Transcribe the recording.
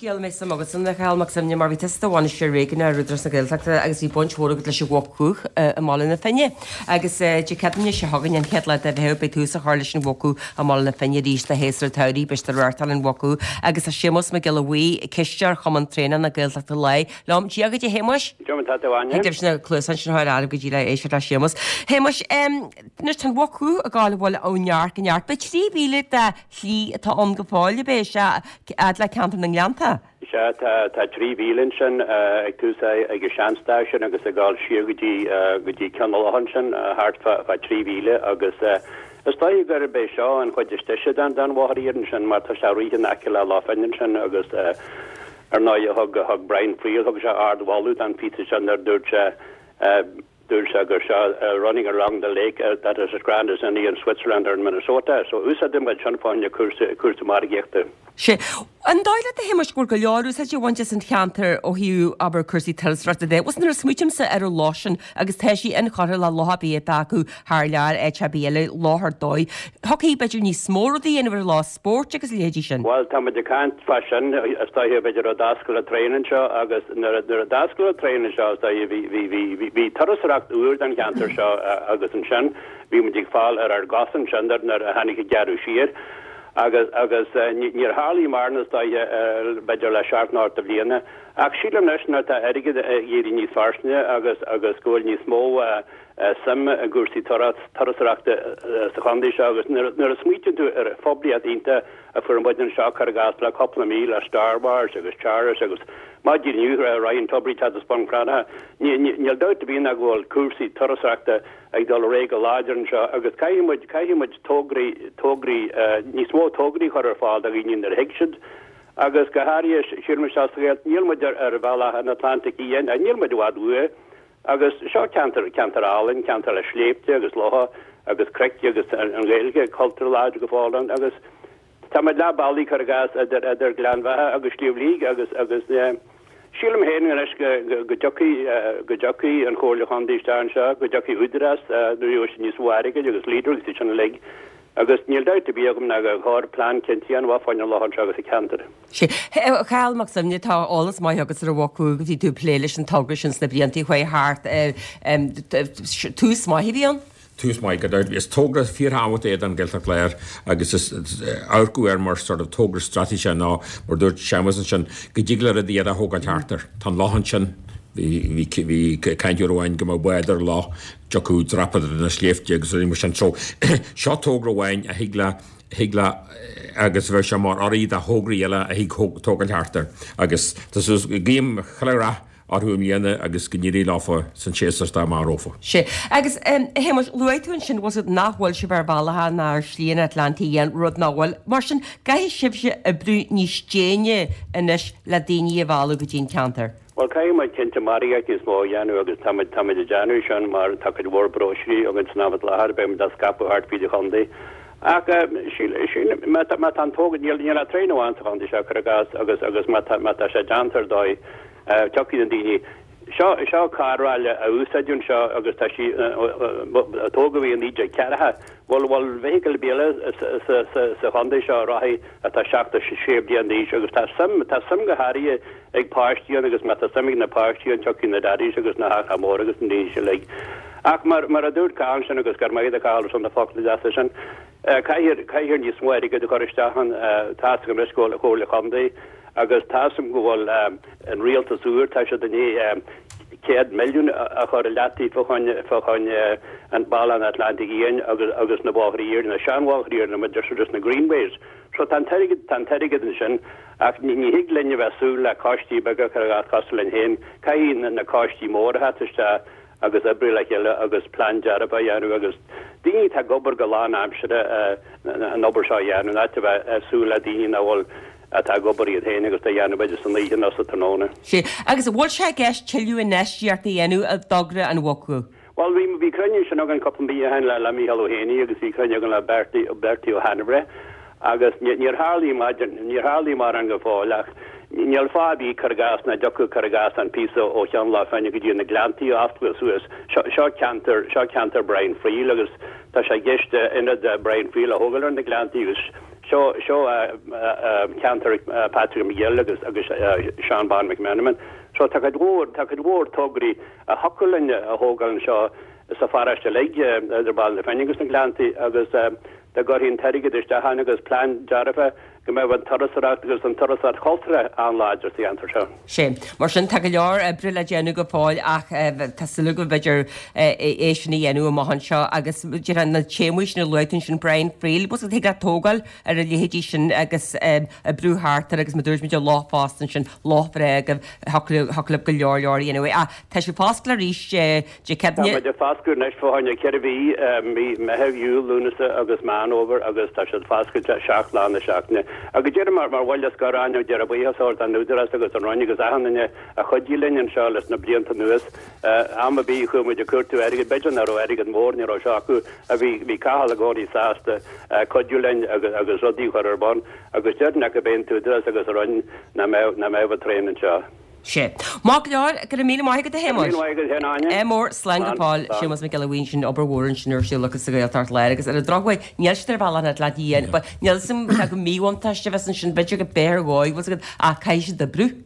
scéal a mbeidh suim agatsa ann, a Chathail Mac Suibhne, mar bhí tusa i do bhainisteoir réigiúnach ar Údarás na Gaeltachta agus bhí baint mhór agat leis an Mhuc Dhubh i mBaile na Finne. Agus Dé Céadaoine seo chugainn, an chéad lá de Mheitheamh, beidh tús á chur leis an Mhuc Dhubh i mBaile na Finne arís do shéasúr an tsamhraidh. Beidh siad ag reáchtáil an Mhuc Dhubh agus tá Séamus Mac Giolla Bhuí, cisteoir Chumann Traonach na Gaeltachta Láir, liom. Dia dhuit, a Shéamuis. Dia duit, a Áine. Thig libh na cluasáin sin a chur ar go dtí le éisteacht le Séamus. Shéamuis, anois tá an Mhuc Dhubh ag gabháil bhuel ó neart go neart. Beidh 3,000 de shlí atá ann go fóill, ab é? Sea, fhad le ceantar na nGleannta. Sea, tá, tá 3 mhíle ansin ag tús ag an seanstáisiún agus ag dul siar go dtí, go dtí Ceann na Locha ansin, thart fá, fá 3 mhíle agus is dóiche gurb é seo an chuid is deise den, den bhóthar iarainn sin mar tá sé ag rith in aice le Loch Finn ansin agus ar ndóigh thug, thug Brian Friel, thug sé ardmholadh don phíosa sin nuair a dúirt sé, Dúirt sé gur seo running along the lake that is as grand as any in Switzerland or in Minnesota. So úsáideann muid sin fá choinne cúrsa, cúrsa margaíochta. Sea. An dóigh leat, a Shéamuis, go bhfuil go leor úsáide á bhaint as an cheantar ó thaobh, abair, cúrsaí turasóireachta de? Bhuel, nuair a smaoitímse ar an loch sin, agus tá sí inchurtha le loch ar bith atá acu thar lear, áit ar bith eile, loch ar dóigh. Thiocfaí, b'fhéidir, níos mó rudaí a dhéanamh ar an loch, spóirt agus a leithéidí sin. Bhuel, tá muid ag caint fá sin, is dóiche, b'fhéidir ó d'oscail an traein anseo agus nuair a, nuair a d'oscail an traein anseo, is dóiche, bhí, bhí, bhí, bhí, bhí turasóireacht úr don cheantar seo agus ansin bhí muid ag fáil ar ár gcosa ansin nuair, nuair a tháinig an gearradh siar agus, agus ní, níor tharlaigh mórán is dóiche, b'fhéidir le seacht nó ocht de bhliana. Ach sílim anois nuair atá airgead ag éirí níos fairsinge agus, agus go bhfuil níos mó, suim i gcúrsaí turasóireachta sa chontae seo agus nuair a smaoitíonn tú ar phoiblíocht iontach a fuair muid anseo, cuir i gcás, le cúpla mí le Star Wars agus Charles agus maidin inniu Ryan Tubridy ag teacht as Bun Cranncha, níl dabht ar bith ná go bhfuil cúrsaí turasóireachta ag dul ar aghaidh go láidir anseo agus caithfidh muid, caithfidh muid tograí, tograí, níos mó tograí a chur ar fáil do dhaoine nuair a thig siad agus go háirithe, sílim anseo sa Ghaeltacht, níl muid ar bhealach an Atlantaigh Fhiáin, níl muid i bhfad uaidh. Agus seo ceantar, ceantar álainn, ceantar le sléibhte agus locha agus cnoic agus an Ghaeilge, cultúr láidir go fóill ann agus tá muid leath bealaigh, cuir i gcás, idir, idir Gleann Bheatha agus Sliabh Liag agus, agus sílim féin anois go, go, go dtiocfaidh, go dtiocfaidh an Chomhairle Chontae isteach anseo, go dtiocfaidh Údarás nuair a gheobhaidh siad níos mó airgid agus Leader agus iad sin uilig agus níl dabht ar bith agam ná gur chóir plean cinnte a dhéanamh fá choinne an loch anseo agus an ceantar. Sea. A Chathail Mac Suibhne, tá eolas maith agat ar an Mhuc Dhubh agus bhí tú ag plé leis an togra sin sna blianta a chuaigh thart. Tús maith a bhí ann? Tús maith, gan dabht. Is togra fíorthábhachtach é don Ghaeltacht Láir agus is amharcadh air mar sort of togra straitéiseach ná, mar dúirt Séamus ansin, go dtig le rudaí eile a thógáil thart air. Tá an loch ansin, bhí caint uair amháin go mbeadh bád ar an loch, dtiocfadh dreapadóirí na sléibhte agus rudaí mar sin. So, seo togra amháin a thig le thig le agus bheadh sé mar urraí do thograí eile a thig tógáil thart air agus tá súil guím chuile rath orthu i mbliana agus go n-éirí leofa san séasúr atá amach rompu. Sea. Agus, a Shéamuis, luaigh tú ansin, bhfuil 's agat, nach bhfuil sibh ar bhealach ná ar shlí an Atlantaigh Fhiáin, rud nach bhfuil. Mar sin, caithfidh sibhse oibriú níos déine anois le daoine a mhealladh go dtí an ceantar. Bhuel, caithfidh muid cinnte margaíocht níos mó a dhéanamh agus táimid, táimid ag déanamh sin mar tá cuid mhór bróisiúirí againn san am i láthair, beidh muid á scaipeadh thart fríd an chontae. Ach síl, sílim, má tá, má tá an togra, níl, níl ach traein amháin sa chontae seo, cuir i gcás, agus, agus má tá, má tá sé déanta ar dóigh, tiocfaidh na daoine. Seo, seo carr-ráille a úsáideadh anseo agus tá sí, a tógadh í i 1940. Bhfuil, bhfuil vehicle ar bith eile sa, sa, sa, sa chontae seo a rachaidh atá 76 bliain d'aois agus tá suim, tá suim go háirithe ag páistí ann agus má tá suim ag na páistí ann tiocfaidh na daddies agus na haithreacha móra agus na daoine sin uilig. Ach mar, mar a dúirt Cathal ansin agus go raibh maith agat a Chathail ar son na focla deasa sin, caithfear, caithfear níos mó airgid a chur isteach ann. Tá's agam anois go bhfuil an Chomhairle Chontae agus tá's agam go bhfuil an rialtas úr, tá siad i ndiaidh 100 milliún a chur i leataobh fá choinne, fá choinne an Bealach an Atlantaigh Fhiáin agus, agus na bóithre iarainn, na seanbhóithre iarainn, a deir siad, na Greenways. So tá an t-airgead, tá an t-airgead ansin ach ní, ní thig linn a bheith súil le coistí beaga cuir i gcás cosúil linn féin. Caithfidh na, na coistí móra a theacht isteach agus oibriú le chéile agus plean dearfa a dhéanamh agus daoine atá ag obair go lánaimseartha an obair seo a dhéanamh, in áit a bheith ag súil le daoine nach bhfuil, atá ag obair iad féin agus á dhéanamh b'fhéidir san oíche nó sa tráthnóna. Sea. Agus an bhfuil sé i gceist tuilleadh infheistíochta a dhéanamh i dtogra an Mhuc Dhubh? Bhuel, bhí, bhí cruinniú ansin againn cúpla mí ó shin le, le Mícheál Ó hÉanaí agus bhí cruinniú againn le Bertie, Bertie Ó hAinmhire agus ní, níor tharlaigh maidir, níor tharlaigh mórán go fóill ach níl fáth ar bith cuir i gcás nach dtiocfadh cuir i gcás an píosa ó Cheann Loch Finne go dtí na Gleanntaí a oscailt suas. Seo, seo ceantar, seo ceantar Brian Friel agus tá sé i gceist ionad Brian Friel a thógáil ar na Gleanntaí agus. Seo, seo ceantar Patrick McGill agus, agus Seán Bán McMenamin. So tá cuid mhór, tá cuid mhór tograí a thiocfadh linn a thógáil anseo sa pharóiste uilig, idir Baile na Finne agus na Gleanntaí agus dá gcuirfí an t-airgead isteach ann agus plean dearfa go mbeadh an turasóireacht agus an turasóireacht chultúrtha an-láidir sa cheantar seo. Sea. Mar sin, tá go leor oibre le déanamh go fóill ach tá súil agam go mb'fhéidir é sin a dhéanamh amach anseo agus déarfainn na téamaí sin a luaigh tú ansin, Brian Friel, bhfuil thig leat tógáil ar a leithéidí sin agus oibriú thart air agus mar dúirt muid an loch fosta ansin, loch bhreá agaibh, thiocfadh libh go leor leor a dhéanamh. Ach tá sé foscailte arís Dé Tá muid ag foscadh anois fá choinne 4 mhí, mí Meitheamh, Iúil, Lúnasa agus Meán Fhómhair agus tá siad foscailte 7 lá na seachtaine. Agus déarfainn mar mar bhuille scoir Áine, déarfainn buíochas a thabhairt don Údarás agus don Roinn agus achan duine a chuidigh linn anseo leis na blianta anuas. Am ar bith a chuaigh muid ag cuartú airgid, b'fhéidir nach raibh airgead mór, ní raibh seo acu, ach bhí bhí Cathal i gcónaí sásta cuidiú linn agus agus rudaí a chur ar bun agus déarfainn nach b'é an tÚdarás agus an Roinn nach mbeadh nach mbeadh an traein anseo. Sea. Maith go leor, go raibh míle maith agat a Shéamuis. Go raibh míle maith agat féin Áine. Ádh mór, slán go fóill. Séamus Mac Giolla Bhuí ansin, obair mhór ansin ar siúl acu sa Ghaeltacht Láir agus ar an drochuair níl siad ar bhealach na Atlantaigh Fhiáin, but níl 'fhios a'm cé go míbhuntáiste a bheas ansin, b'fhéidir go b'fhearr dhóibh, bhfuil 's agat, ach caithfidh siad oibriú.